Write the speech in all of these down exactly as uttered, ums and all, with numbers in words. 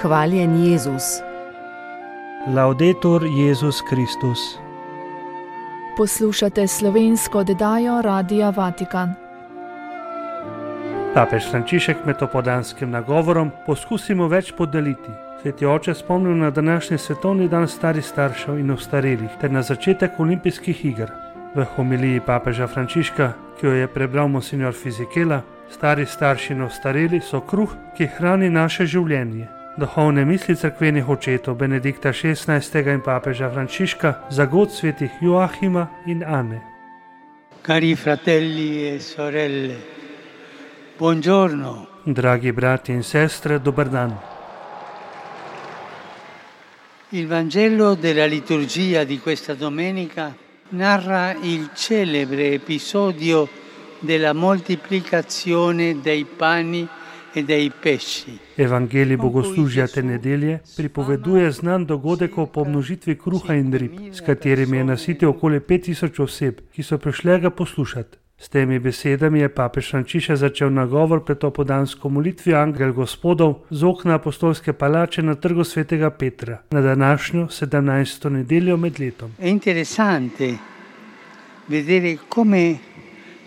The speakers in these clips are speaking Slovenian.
Hvaljen Jezus. Laudetur Jezus Kristus. Poslušate slovensko oddajo Radia Vatikan. Papež Frančišek med opoldanskim nagovorom poskusimo več podeliti. Sveti oče spomnil na današnji svetovni dan starih staršev in ostarelih ter na začetek olimpijskih iger. V homiliji papeža Frančiška, ki jo je prebral monsignor Fizikela, stari starši in ostareli so kruh, ki hrani naše življenje. Duhovne misli cerkvenih očetov Benedikta šestnajstega in papeža Frančiška za god svetih Joachima in Ane. Cari fratelli e sorelle, buongiorno. Dragi brati in sestre, dober dan. Il Vangelo della liturgia di questa domenica narra il celebre episodio della moltiplicazione dei pani e dei pesci. Evangelij bogoslužja te nedelje pripoveduje znan dogodek o pomnožitvi kruha in rib, s katerimi je nasitil okoli pet tisoč oseb, ki so prišle ga poslušati. S temi besedami je papež Frančišek začel nagovor pred opoldansko molitvijo Angel Gospodov z okna apostolske palače na trgu svetega Petra na današnjo sedemnajsto nedeljo med letom. È interessante vedere come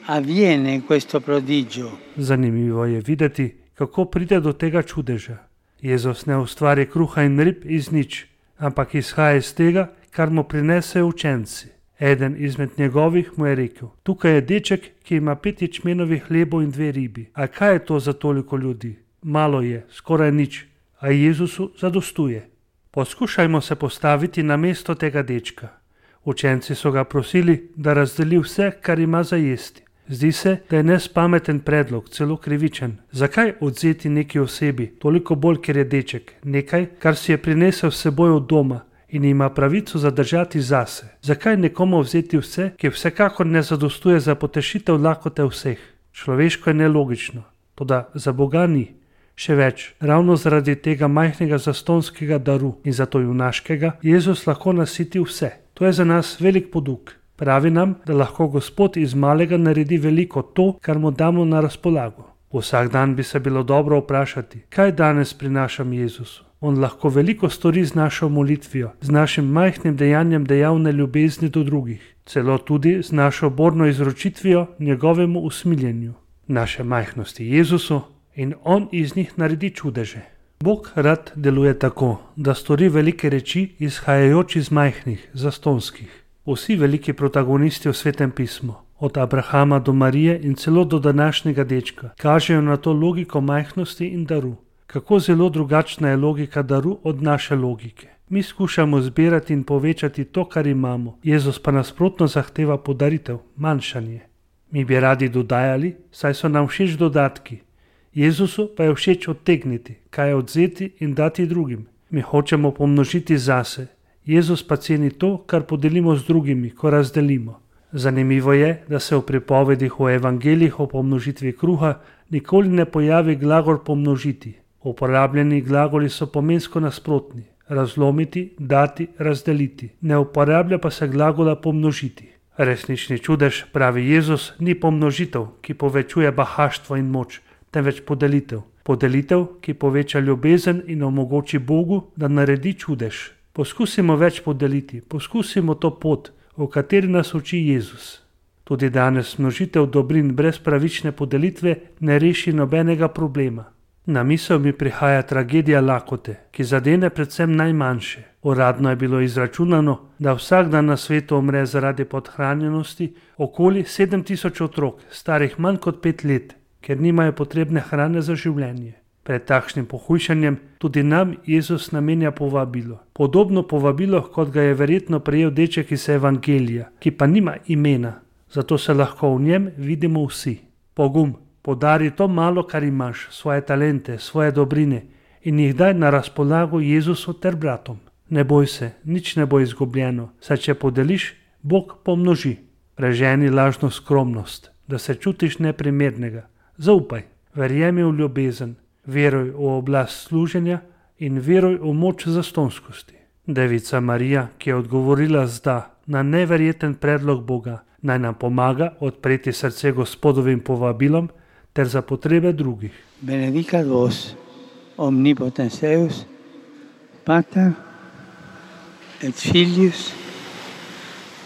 avviene questo prodigio. Zanimivo je videti, kako pride do tega čudeža. Jezus ne ustvari kruha in rib iz nič, ampak izhaja iz tega, kar mu prinesejo učenci. Eden izmed njegovih mu je rekel: tukaj je deček, ki ima pet ječmenovih hlebov in dve ribi. A kaj je to za toliko ljudi? Malo je, skoraj nič, a Jezusu zadostuje. Poskušajmo se postaviti na mesto tega dečka. Učenci so ga prosili, da razdeli vse, kar ima za jesti. Zdi se, da je nespameten predlog, celo krivičen. Zakaj odzeti neki osebi, toliko bolj, ker je deček, nekaj, kar si je prinesel s seboj od doma in ima pravico zadržati zase? Zakaj nekomu vzeti vse, ki vsekakor ne zadostuje za potešitev lakote vseh? Človeško je nelogično, toda za Boga ni. Še več, ravno zaradi tega majhnega zastonskega daru in zato junaškega, Jezus lahko nasiti vse. To je za nas velik poduk. Pravi nam, da lahko Gospod iz malega naredi veliko to, kar mu damo na razpolago. Vsak dan bi se bilo dobro vprašati, kaj danes prinašam Jezusu. On lahko veliko stori z našo molitvijo, z našim majhnim dejanjem dejavne ljubezni do drugih, celo tudi z našo borno izročitvijo njegovemu usmiljenju, naše majhnosti Jezusu, in on iz njih naredi čudeže. Bog rad deluje tako, da stori velike reči izhajajoč iz majhnih, zastonskih. Vsi veliki protagonisti v Svetem pismu, od Abrahama do Marije in celo do današnjega dečka, kažejo na to logiko majhnosti in daru. Kako zelo drugačna je logika daru od naše logike. Mi skušamo zbirati in povečati to, kar imamo, Jezus pa nasprotno zahteva podaritev, manjšanje. Mi bi radi dodajali, saj so nam všeč dodatki. Jezusu pa je všeč odtegniti, kaj odzeti in dati drugim. Mi hočemo pomnožiti zase. Jezus pa ceni to, kar podelimo z drugimi, ko razdelimo. Zanimivo je, da se v pripovedih o evangeljih o pomnožitvi kruha nikoli ne pojavi glagol pomnožiti. Uporabljeni glagoli so pomensko nasprotni: razlomiti, dati, razdeliti. Ne uporablja pa se glagola pomnožiti. Resnični čudež, pravi Jezus, ni pomnožitev, ki povečuje bahaštvo in moč, temveč podelitev. Podelitev, ki poveča ljubezen in omogoči Bogu, da naredi čudež. Poskusimo več podeliti, poskusimo to pot, v kateri nas uči Jezus. Tudi danes množitev dobrin brez pravične podelitve ne reši nobenega problema. Na misel mi prihaja tragedija lakote, ki zadene predvsem najmanjše. Uradno je bilo izračunano, da vsak dan na svetu umre zaradi podhranjenosti okoli sedem tisoč otrok, starih manj kot pet let, ker nimajo potrebne hrane za življenje. Pred takšnim pohujšanjem tudi nam Jezus namenja povabilo. Podobno povabilo, kot ga je verjetno prejel deček iz Evangelija, ki pa nima imena, zato se lahko v njem vidimo vsi. Pogum, podari to malo, kar imaš, svoje talente, svoje dobrine in jih daj na razpolago Jezusu ter bratom. Ne boj se, nič ne bo izgubljeno, saj če podeliš, Bog pomnoži. Preženi lažno skromnost, da se čutiš neprimernega. Zaupaj, verjemi v ljubezen. Veruj v oblast služenja in veruj v moč zastonskosti. Devica Marija, ki je odgovorila z da na neverjeten predlog Boga, naj nam pomaga odpreti srce Gospodovim povabilom ter za potrebe drugih. Benedicat vos, omnipotens Deus, Pater et Filius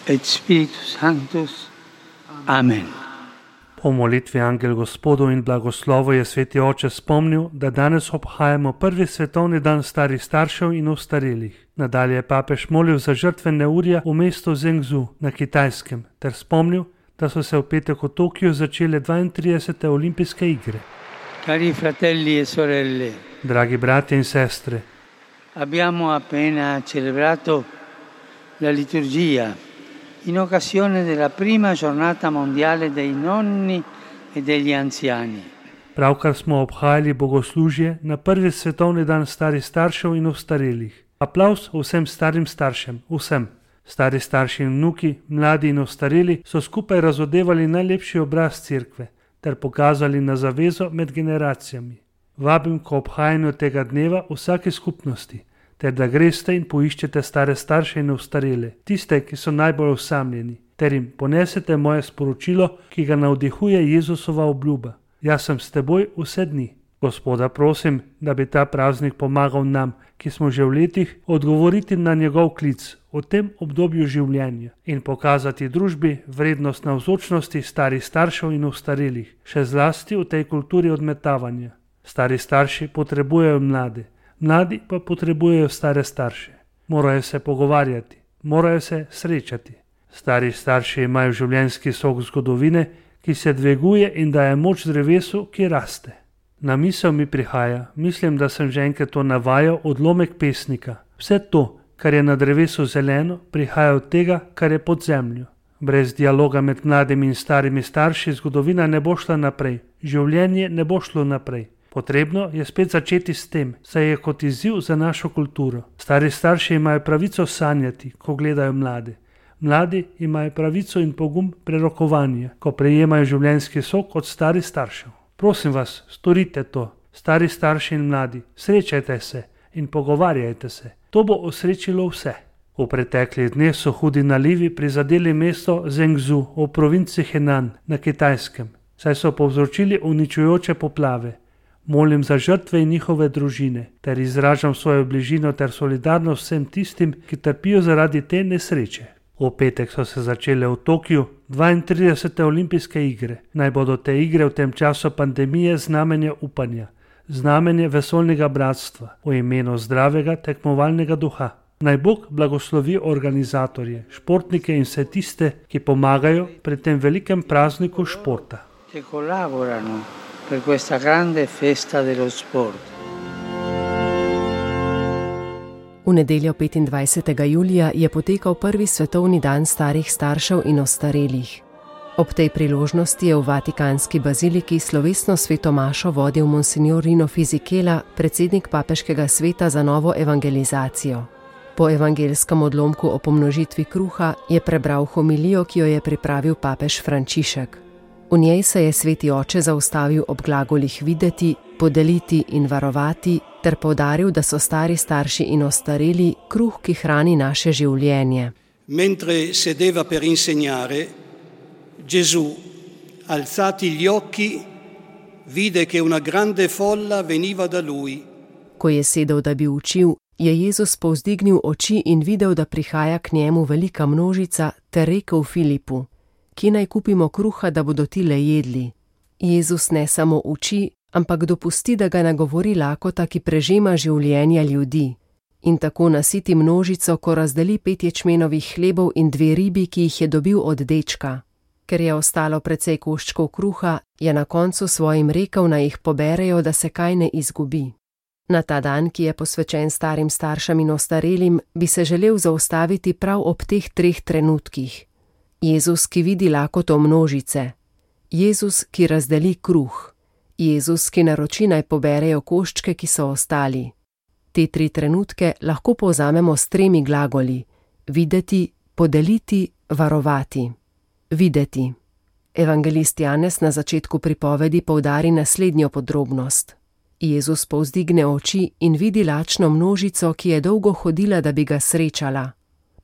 et Spiritus Sanctus. Amen. Po molitvi Angel Gospodov in blagoslovu je sveti oče spomnil, da danes obhajamo prvi svetovni dan starih staršev in ostarelih. Nadalje je papež molil za žrtve neurja v mestu Zhengzhou na Kitajskem ter spomnil, da so se v petek v Tokiu začele dvaintridesete olimpijske igre. Cari fratelli e sorelle, Dragi bratje in sestre, abbiamo appena celebrato la liturgia in occasione della prima giornata mondiale dei nonni e degli anziani. pravkar smo obhajali bogoslužje na prvi svetovni dan starih staršev in ostarelih. Aplavz vsem starim staršem, vsem. Stari starši in vnuki, mladi in ostareli so skupaj razodevali najlepši obraz cerkve ter pokazali na zavezo med generacijami. Vabim k obhajanju tega dneva vsake skupnosti, ter da greste in poiščete stare starše in ostarele, tiste, ki so najbolj osamljeni, ter jim ponesete moje sporočilo, ki ga navdihuje Jezusova obljuba. Jaz sem s teboj vse dni. Gospoda prosim, da bi ta praznik pomagal nam, ki smo že v letih, odgovoriti na njegov klic v tem obdobju življenja in pokazati družbi vrednost navzočnosti starih staršev in ostarelih, še zlasti v tej kulturi odmetavanja. Stari starši potrebujejo mlade, mladi pa potrebujejo stare starše. Morajo se pogovarjati, morajo se srečati. Stari starši imajo življenjski sok zgodovine, ki se dviguje in daje moč drevesu, ki raste. Na misel mi prihaja, mislim, da sem že enkrat to navajal, odlomek pesnika. Vse to, kar je na drevesu zeleno, prihaja od tega, kar je pod zemljo. Brez dialoga med mladimi in starimi starši zgodovina ne bo šla naprej, življenje ne bo šlo naprej. Potrebno je spet začeti s tem, saj je kot izziv za našo kulturo. Stari starši imajo pravico sanjati, ko gledajo mlade. Mladi imajo pravico in pogum prerokovanja, ko prejemajo življenjski sok od starih staršev. Prosim vas, storite to, stari starši in mladi, srečajte se in pogovarjajte se. To bo osrečilo vse. V preteklih dneh so hudi nalivi prizadeli mesto Zhengzhou v provinci Henan na Kitajskem, saj so povzročili uničujoče poplave. Molim za žrtve in njihove družine, ter izražam svojo bližino ter solidarnost vsem tistim, ki trpijo zaradi te nesreče. V petek so se začele v Tokiu dvaintridesete olimpijske igre. Naj bodo te igre v tem času pandemije znamenje upanja, znamenje vesoljnega bratstva, v imenu zdravega tekmovalnega duha. Naj Bog blagoslovi organizatorje, športnike in vse tiste, ki pomagajo pri tem velikem prazniku športa. Che collaborano per questa grande festa dello sport. V nedeljo petindvajsetega julija je potekal prvi svetovni dan starih staršev in ostarelih. Ob tej priložnosti je v Vatikanski baziliki slovesno sveto mašo vodil monsignor Rino Fisichella, predsednik papeškega sveta za novo evangelizacijo. Po evangelskem odlomku o pomnožitvi kruha je prebral homilijo, ki jo je pripravil papež Frančišek. V njej se je sveti oče zaustavil ob glagolih videti, podeliti in varovati, ter poudaril, da so stari starši in ostareli kruh, ki hrani naše življenje. Mentre sedeva per insegnare, Gesù, alzati gli occhi, vide che una grande folla veniva da lui. Ko je sedel, da bi učil, je Jezus povzdignil oči in videl, da prihaja k njemu velika množica, ter rekel Filipu: Kje naj kupimo kruha, da bodo ti le jedli? Jezus ne samo uči, ampak dopusti, da ga nagovori lakota, ki prežema življenja ljudi. In tako nasiti množico, ko razdeli pet ječmenovih hlebov in dve ribi, ki jih je dobil od dečka. Ker je ostalo precej koščkov kruha, je na koncu svojim rekel, naj jih poberejo, da se kaj ne izgubi. Na ta dan, ki je posvečen starim staršem in ostarelim, bi se želel zaustaviti prav ob teh treh trenutkih. Jezus, ki vidi lakoto množice. Jezus, ki razdeli kruh. Jezus, ki naroči, naj poberejo koščke, ki so ostali. Te tri trenutke lahko povzamemo s tremi glagoli: videti, podeliti, varovati. Videti. Evangelist Janez na začetku pripovedi poudari naslednjo podrobnost. Jezus povzdigne oči in vidi lačno množico, ki je dolgo hodila, da bi ga srečala.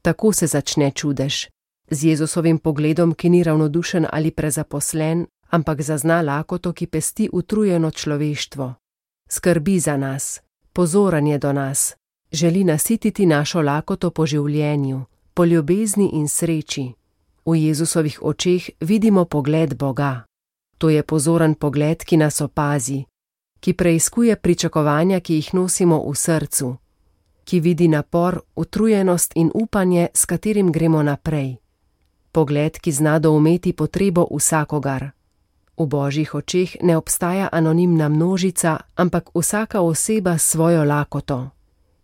Tako se začne čudež. Z Jezusovim pogledom, ki ni ravnodušen ali prezaposlen, ampak zazna lakoto, ki pesti utrujeno človeštvo. Skrbi za nas, pozoren je do nas, Želi nasititi našo lakoto po življenju, po ljubezni in sreči. V Jezusovih očeh vidimo pogled Boga. To je pozoren pogled, ki nas opazi, ki preiskuje pričakovanja, ki jih nosimo v srcu, ki vidi napor, utrujenost in upanje, s katerim gremo naprej. Pogled, ki zna doumeti potrebo vsakogar. V Božjih očeh ne obstaja anonimna množica, ampak vsaka oseba s svojo lakoto.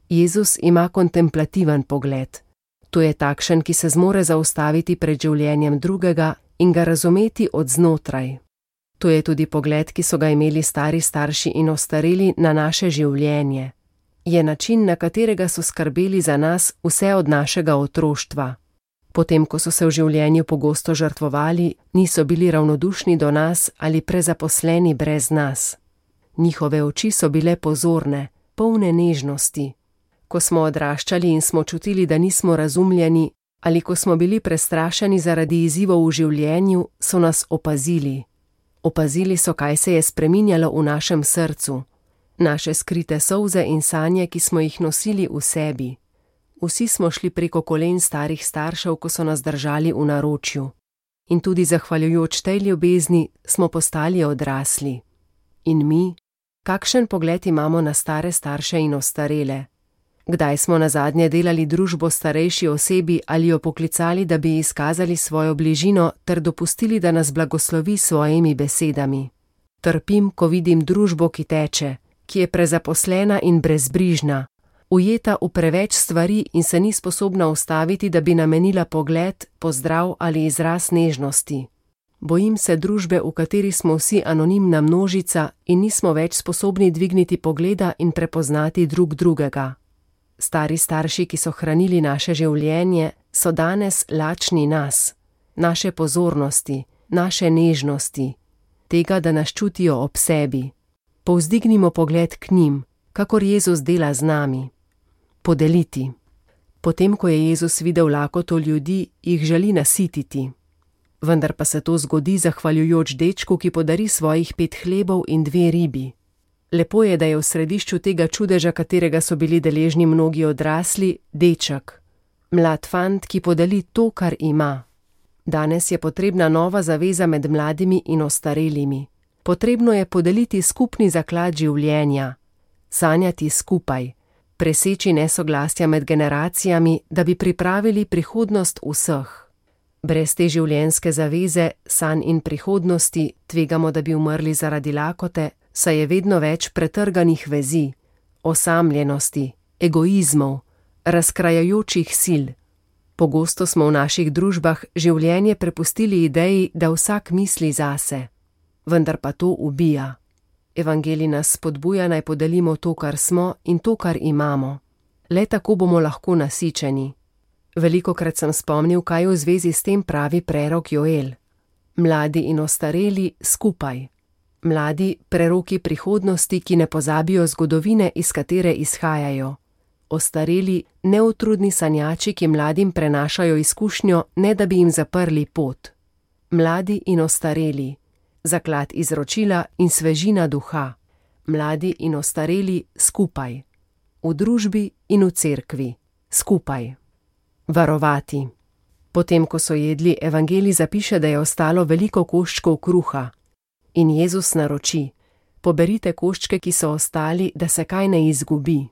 Jezus ima kontemplativen pogled. To je takšen, ki se zmore zaustaviti pred življenjem drugega in ga razumeti od znotraj. To je tudi pogled, ki so ga imeli stari starši in ostareli na naše življenje. Je način, na katerega so skrbeli za nas vse od našega otroštva. Potem, ko so se v življenju pogosto žrtvovali, niso bili ravnodušni do nas ali prezaposleni brez nas. Njihove oči so bile pozorne, polne nežnosti. Ko smo odraščali in smo čutili, da nismo razumljeni, ali ko smo bili prestrašeni zaradi izzivov v življenju, so nas opazili. Opazili so, kaj se je spreminjalo v našem srcu, naše skrite solze in sanje, ki smo jih nosili v sebi. Vsi smo šli preko kolen starih staršev, ko so nas držali v naročju. In tudi zahvaljujoč tej ljubezni smo postali odrasli. In mi, kakšen pogled imamo na stare starše in ostarele? Kdaj smo nazadnje delali družbo starejši osebi ali jo poklicali, da bi izkazali svojo bližino ter dopustili, da nas blagoslovi s svojimi besedami? Trpim, ko vidim družbo, ki teče, ki je prezaposlena in brezbrižna, ujeta v preveč stvari in se ni sposobna ustaviti, da bi namenila pogled, pozdrav ali izraz nežnosti. Bojim se družbe, v kateri smo vsi anonimna množica in nismo več sposobni dvigniti pogleda in prepoznati drug drugega. Stari starši, ki so hranili naše življenje, so danes lačni nas, naše pozornosti, naše nežnosti, tega, da nas čutijo ob sebi. Povzdignimo pogled k njim, kakor Jezus dela z nami. Podeliti. Potem, ko je Jezus videl lakoto ljudi, jih želi nasititi. Vendar pa se to zgodi zahvaljujoč dečku, ki podari svojih pet hlebov in dve ribi. Lepo je, da je v središču tega čudeža, katerega so bili deležni mnogi odrasli, deček. Mlad fant, ki podeli to, kar ima. Danes je potrebna nova zaveza med mladimi in ostarelimi. Potrebno je podeliti skupni zaklad življenja, sanjati skupaj, preseči nesoglasja med generacijami, da bi pripravili prihodnost vseh. Brez te življenjske zaveze, sanj in prihodnosti, tvegamo, da bi umrli zaradi lakote, saj je vedno več pretrganih vezi, osamljenosti, egoizmov, razkrajajočih sil. Pogosto smo v naših družbah življenje prepustili ideji, da vsak misli zase. Vendar pa to ubija. Evangelij nas spodbuja, naj podelimo to, kar smo in to, kar imamo. Le tako bomo lahko nasičeni. Velikokrat sem spomnil, kaj v zvezi s tem pravi prerok Joel. Mladi in ostareli skupaj. Mladi preroki prihodnosti, ki ne pozabijo zgodovine, iz katere izhajajo. Ostareli neutrudni sanjači, ki mladim prenašajo izkušnjo, ne da bi jim zaprli pot. Mladi in ostareli. Zaklad izročila in svežina duha. Mladi in ostareli skupaj. V družbi in v cerkvi. Skupaj. Varovati. Potem, ko so jedli, evangelij zapiše, da je ostalo veliko koščkov kruha. In Jezus naroči: poberite koščke, ki so ostali, da se kaj ne izgubi.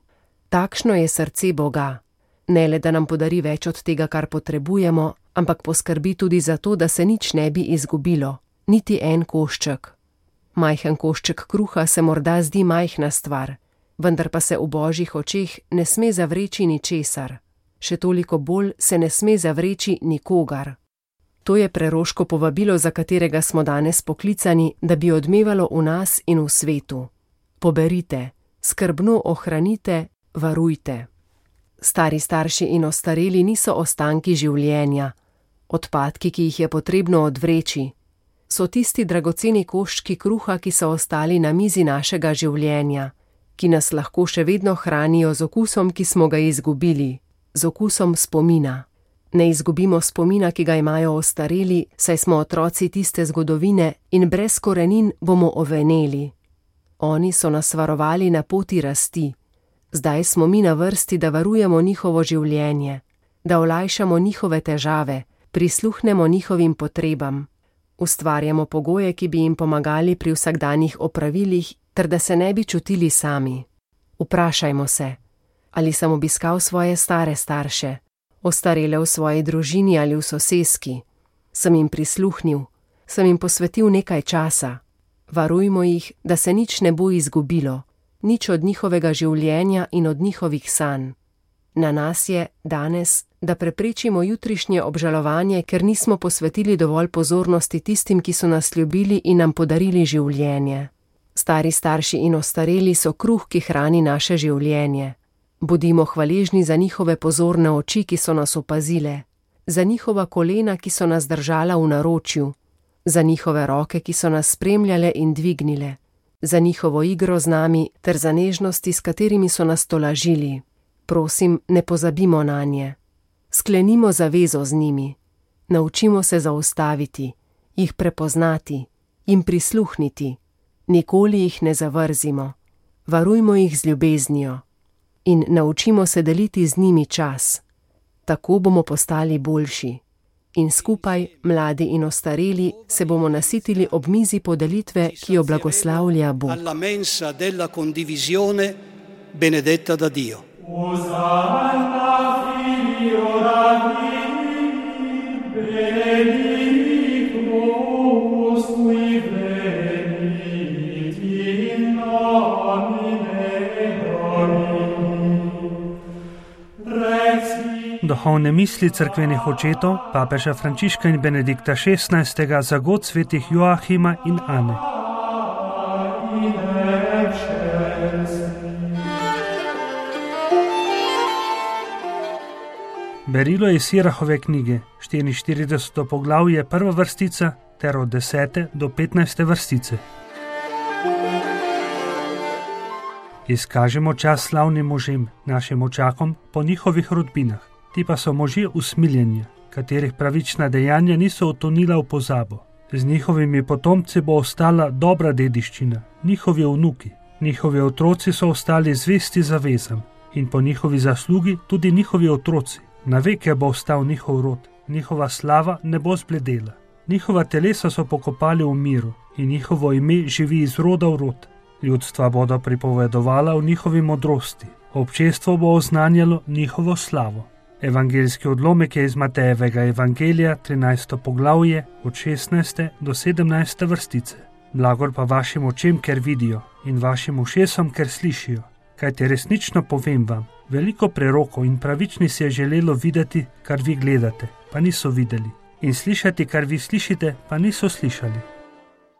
Takšno je srce Boga. Ne le, da nam podari več od tega, kar potrebujemo, ampak poskrbi tudi za to, da se nič ne bi izgubilo. Niti en košček. Majhen košček kruha se morda zdi majhna stvar, vendar pa se v Božjih očeh ne sme zavreči ničesar. Še toliko bolj se ne sme zavreči nikogar. To je preroško povabilo, za katerega smo danes poklicani, da bi odmevalo v nas in v svetu. Poberite, skrbno ohranite, varujte. Stari starši in ostareli niso ostanki življenja, odpadki, ki jih je potrebno odvreči. So tisti dragoceni koščki kruha, ki so ostali na mizi našega življenja, ki nas lahko še vedno hranijo z okusom, ki smo ga izgubili, z okusom spomina. Ne izgubimo spomina, ki ga imajo ostareli, saj smo otroci tiste zgodovine in brez korenin bomo oveneli. Oni so nas varovali na poti rasti. Zdaj smo mi na vrsti, da varujemo njihovo življenje, da olajšamo njihove težave, prisluhnemo njihovim potrebam, ustvarjamo pogoje, ki bi jim pomagali pri vsakdanjih opravilih, ter da se ne bi čutili sami. Vprašajmo se, ali sem obiskal svoje stare starše, ostarele v svoji družini ali v soseski, sem jim prisluhnil, sem jim posvetil nekaj časa. Varujmo jih, da se nič ne bo izgubilo, nič od njihovega življenja in od njihovih sanj. Na nas je danes, da preprečimo jutrišnje obžalovanje, ker nismo posvetili dovolj pozornosti tistim, ki so nas ljubili in nam podarili življenje. Stari starši in ostareli so kruh, ki hrani naše življenje. Bodimo hvaležni za njihove pozorne oči, ki so nas opazile, za njihova kolena, ki so nas držala v naročju, za njihove roke, ki so nas spremljale in dvignile, za njihovo igro z nami ter za nežnosti, s katerimi so nas tolažili. Prosim, ne pozabimo nanje. Sklenimo zavezo z njimi. Naučimo se zaustaviti, jih prepoznati, jim prisluhniti. Nikoli jih ne zavrzimo. Varujmo jih z ljubeznijo. In naučimo se deliti z njimi čas. Tako bomo postali boljši. In skupaj, mladi in ostareli, se bomo nasitili ob mizi podelitve, ki jo blagoslavlja Bog. Alla mensa della condivisione benedetta da Dio. Osanna Filio Davidi, benedictus qui venit in nomine Domini. Reci. Duhovne misli cerkvenih očetov, papeža Frančiška in Benedikta šestnajstega za god svetih Joachima in Ane. Berilo iz Sirahove knjige, štiriinštirideseto poglavje, prva vrstica, ter od desete do petnajste vrstice. Izkažemo čas slavnim možem, našim očakom, po njihovih rodbinah. Ti pa so možje usmiljenja, katerih pravična dejanja niso utonila v pozabo. Z njihovimi potomci bo ostala dobra dediščina, njihovi vnuki, njihovi otroci so ostali zvesti zavezam in po njihovi zaslugi tudi njihovi otroci. Na veke bo ostal njihov rod, njihova slava ne bo zbledela. Njihova telesa so pokopali v miru in njihovo ime živi iz roda v rod. Ljudstva bodo pripovedovala o njihovi modrosti, občestvo bo oznanjalo njihovo slavo. Evangeljski odlomek je iz Matejevega evangelija, trinajsto poglavje, od šestnajste do sedemnajste vrstice. Blagor pa vašim očem, ker vidijo, in vašim ušesom, ker slišijo. Kajti resnično povem vam, veliko prerokov in pravični si je želelo videti, kar vi gledate, pa niso videli, in slišati, kar vi slišite, pa niso slišali.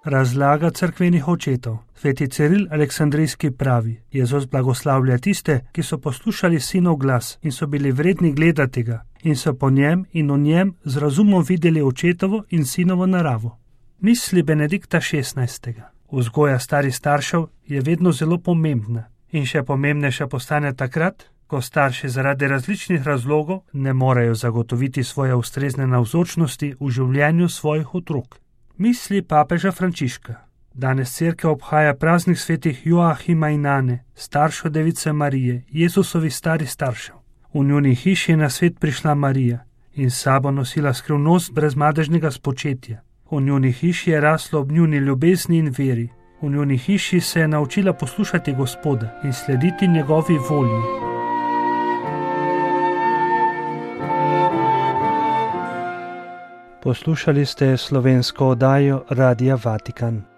Razlaga cerkvenih očetov. Sveti Ciril Aleksandrijski pravi: Jezus blagoslavlja tiste, ki so poslušali sinov glas in so bili vredni gledati ga in so po njem in o njem z razumom videli očetovo in sinovo naravo. Misli Benedikta šestnajstega. Vzgoja starih staršev je vedno zelo pomembna in še pomembnejša postane takrat, ko starši zaradi različnih razlogov ne morejo zagotoviti svoje ustrezne navzočnosti v življenju svojih otrok. Misli papeža Frančiška. Danes cerkev obhaja praznik svetih Joachima in Ane, staršev Device Marije, Jezusovih starih staršev. V njuni hiši je na svet prišla Marija in s sabo nosila skrivnost brezmadežnega spočetja. V njuni hiši je raslo ob njuni ljubezni in veri. V njuni hiši se je naučila poslušati Gospoda in slediti njegovi volji. Poslušali ste slovensko oddajo Radia Vatikan.